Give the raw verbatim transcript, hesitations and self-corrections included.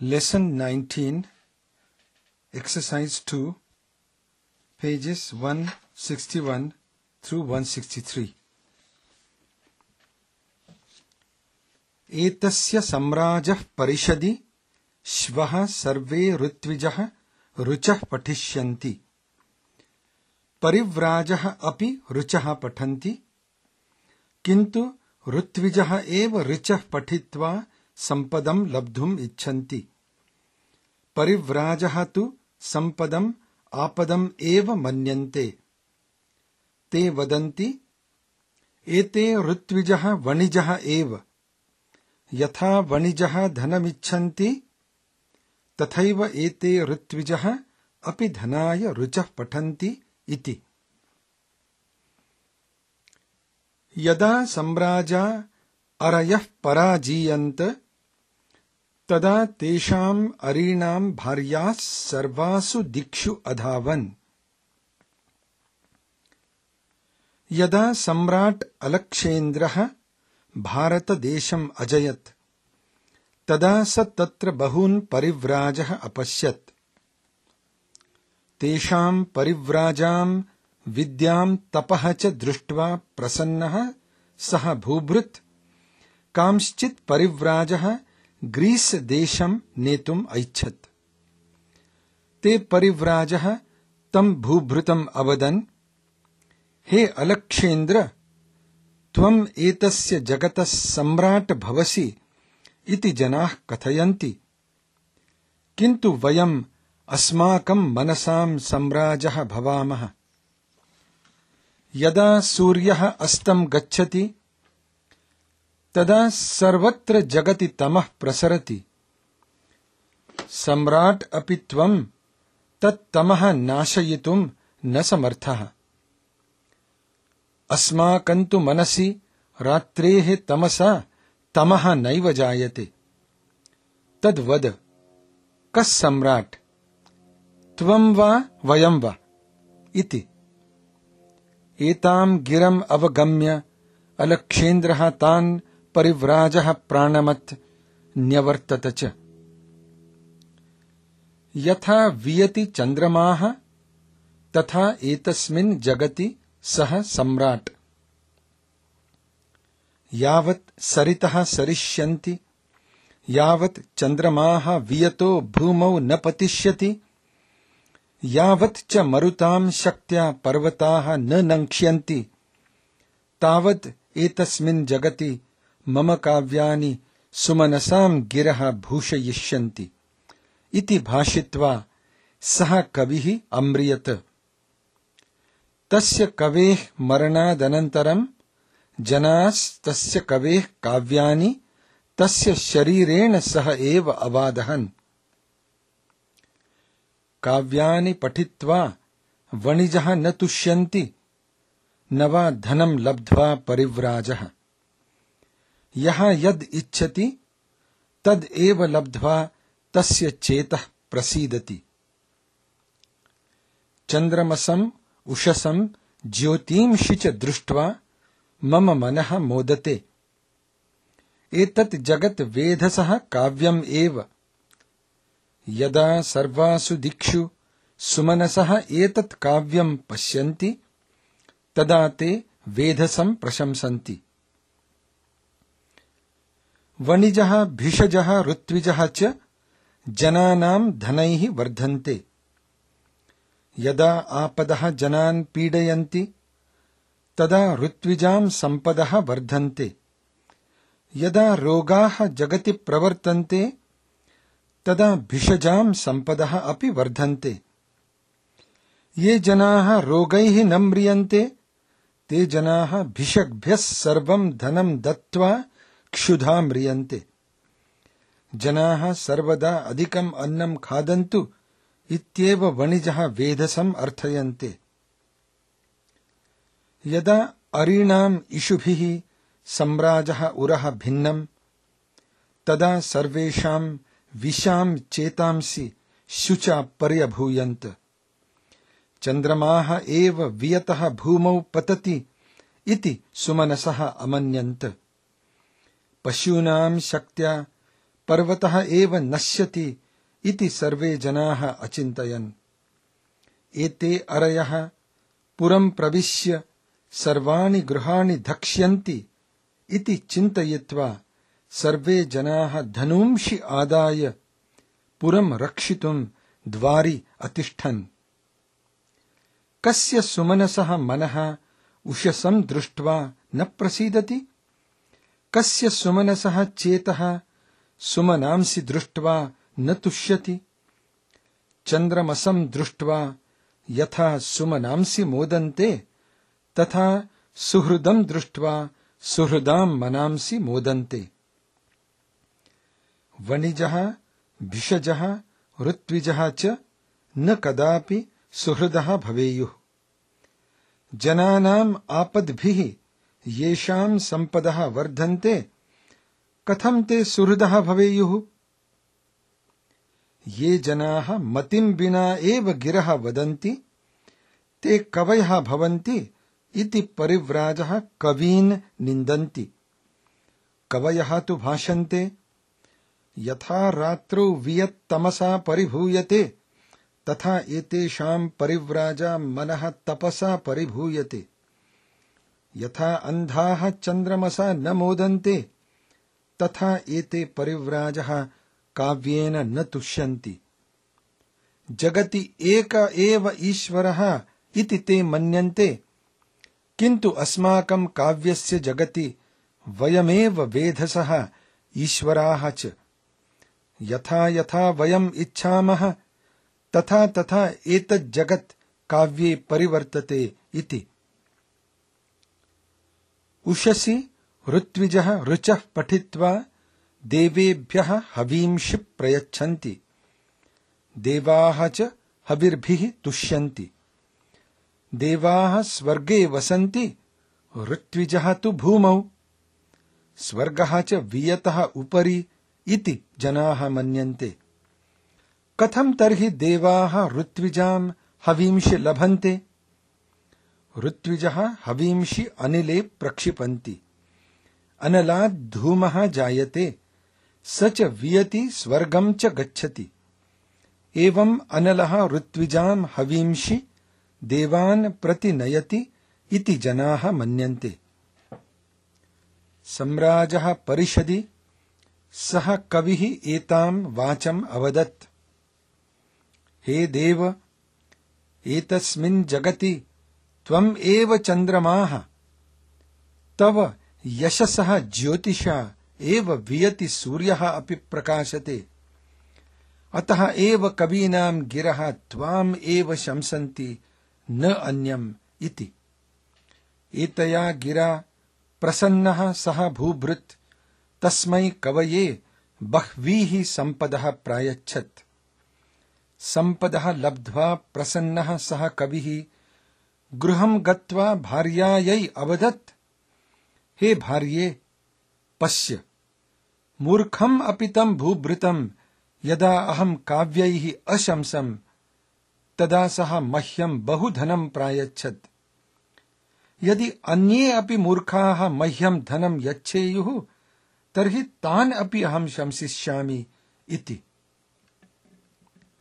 Lesson nineteen, Exercise two, pages one sixty-one through one sixty-three. एतस्य सम्राजः परिषदि श्वः सर्वे ऋत्विजः ऋचः पठिष्यन्ति. परिव्राजः अपि ऋचः पठन्ति, किन्तु ऋत्विजः एव ऋचः पठित्वा सम्पदं लब्धुम् इच्छन्ति. परिव्राजः तु सम्पदम् आपदम् एव मन्यन्ते. ते वदन्ति, एते ऋत्विजः वणिजः एव. यथा वणिजः धनमिच्छन्ति तथैव एते ऋत्विजः अपि धनाय ऋचः पठन्ति इति. यदा सम्राजा अरयः पराजीयन्त तदा तेषाम् अरीणाम् भार्याः सर्वासु दिक्षु अधावन्. यदा सम्राट् अलक्षेन्द्रः भारतदेशम् अजयत् तदा स तत्र बहून् परिव्राजः अपश्यत्. तेषाम् परिव्राजाम् विद्याम् तपः च दृष्ट्वा प्रसन्नः सः भूभृत् कांश्चित् परिव्राजः ग्रीस् देशम् नेतुम् ऐच्छत्. ते परिव्राजः तम् भूभृतम् अवदन्, हे अलक्षेन्द्र, त्वम् एतस्य जगतः सम्राट् भवसि इति जनाः कथयन्ति, किन्तु वयम् अस्माकम् मनसाम् सम्राजः भवामः. यदा सूर्यः अस्तं गच्छति तदा सर्वत्र जगति तमः प्रसरति. सम्राट् अपि त्वम् तत्तमः नाशयितुम् न समर्थः. अस्माकन्तु मनसि रात्रेः तमसा तमः नैव जायते. तद्वद, कः सम्राट्, त्वम् वा वयम् वा इति. एताम् गिरम् अवगम्य अलक्षेन्द्रः तान् परिव्राजः प्राणमत् न्यवर्तत च. यथा वियति चन्द्रमाः तथा एतस्मिन् जगति सः सम्राट्. यावत् सरितः सरिष्यन्ति यावत् चन्द्रमाः वियतो भूमौ न पतिष्यति यावत् च मरुताम् शक्त्या पर्वताः न नङ्क्ष्यन्ति तावत् एतस्मिन् जगति मम काव्यानि सुमनसाम् गिरः भूषयिष्यन्ति इति भाषित्वा सः कविः अम्रियत. तस्य कवेः मरणादनन्तरम् जनास्तस्य कवेः काव्यानि तस्य शरीरेण सह एव अवादहन्. काव्यानि पठित्वा वणिजः न तुष्यन्ति, न वा धनं लब्ध्वा परिव्राजः. यः यद् इच्छति तद् एव लब्ध्वा तस्य चेतः प्रसीदति. चन्द्रमसम् उषसम् ज्योतींषि च दृष्ट्वा मम मनः मोदते. एतत् जगत् वेधसः काव्यम् एव. यदा सर्वासु दिक्षु सुमनसः एतत् काव्यम् पश्यन्ति तदा ते वेधसम् प्रशंसन्ति. वणिजः भिषजः ऋत्विजः च जनानाम् धनैः वर्धन्ते. यदा आपदः जनान् पीडयन्ति तदा ऋत्विजाम् सम्पदः वर्धन्ते. यदा रोगाः जगति प्रवर्तन्ते तदा भिषजाम् सम्पदः अपि वर्धन्ते. ये जनाः रोगैः न म्रियन्ते ते जनाः भिषग्भ्यः सर्वम् धनम् दत्त्वा क्षुधा म्रियन्ते. जनाः सर्वदा अधिकम् अन्नम् खादन्तु इत्येव वणिजः वेधसम् अर्थयन्ते. यदा अरीणाम् इषुभिः सम्राजः उरः भिन्नम् तदा सर्वेषाम् विशाम् चेतांसि शुचा पर्यभूयन्त. चन्द्रमाः एव वियतः भूमौ पतति इति सुमनसः अमन्यन्त. पशूनाम् शक्त्या पर्वतः एव नश्यति इति सर्वे जनाः अचिन्तयन्। एते अरयः पुरं प्रविश्य सर्वाणि गृहाणि धक्ष्यन्ति इति चिन्तयित्वा सर्वे जनाः धनूंषि आदाय पुरं रक्षितुं द्वारि अतिष्ठन्। कस्य सुमनसः मनः उषसं दृष्ट्वा न प्रसीदति? कस्य सुमनसः चेतः सुमनांसि दृष्ट्वा न तुष्यति? चन्द्रमसं दृष्ट्वा यथा सुमनांसि मोदन्ते तथा सुहृदं दृष्ट्वा सुहृदां मनांसि मोदन्ते। वणिजः भिषजः ऋत्विजः च न कदापि सुहृदः भवेयुः। जनानाम् आपद्भिः येषां सम्पदः वर्धन्ते कथं ते सुहृदः भवेयुः? ये जनाः मतिं विना एव गिरः वदन्ति ते कवयः भवन्ति इति परिव्राजः कवीन् निन्दन्ति। कवयः तु भाषन्ते यथा रात्रौ वियत्तमसा परिभूयते तथा एतेषां परिव्राजा मनः तपसा परिभूयते। यथा अन्धाः चन्द्रमसा न मोदन्ते तथा एते परिव्राजः काव्येन न तुष्यन्ति। जगति एक एव ईश्वरः इति ते मन्यन्ते, किन्तु अस्माकं काव्यस्य जगति वयमेव वेधसः ईश्वराः च। यथा यथा वयम् इच्छामः तथा तथा एतत् जगत् काव्ये परिवर्तते इति। उषसि ऋत्विजः ऋचः पठित्वा देवेभ्यः हवींषि प्रयच्छन्ति। देवाः च हविर्भिः तुष्यन्ति। देवाः स्वर्गे वसन्ति, ऋत्विजः तु भूमौ। स्वर्गः च वियतः उपरि इति जनाः मन्यन्ते। कथं तर्हि देवाः ऋत्विजां हवींषि लभन्ते? ऋत्विजः हवींषि अनिले प्रक्षिपन्ति। अनलात् धूमः जायते, स च वियति स्वर्गं च गच्छति। एवं अनलः ऋत्विजां हवींषि देवान् प्रति नयति इति जनाः मन्यन्ते। सम्राजः परिषदि सः कविः एतां वाचम् अवदत्। हे देव, एतस्मिन् जगति त्वम् एव चन्द्रमाः, तव यशसः ज्योतिषा एव वियति सूर्यः अपि प्रकाशते। अतः एव कवीनां गिरः त्वाम् एव शंसन्ति, न अन्यम् इति। एतया गिरा प्रसन्नः सः भूभृत् तस्मै कवये बह्वीः सम्पदः प्रायच्छत्। सम्पदः लब्ध्वा प्रसन्नः सः कविः गृहं गत्वा भार्यायै अवदत्, हे भार्ये, पश्य, मूर्खम् अपि तं भूभृतं यदा अहं काव्यैः अशंसम् तदा सः मह्यं बहुधनं प्रायच्छत्। यदि अन्ये अपि मूर्खाः मह्यं धनं यच्छेयुः तर्हि तान् अपि अहं शंसिष्यामि इति।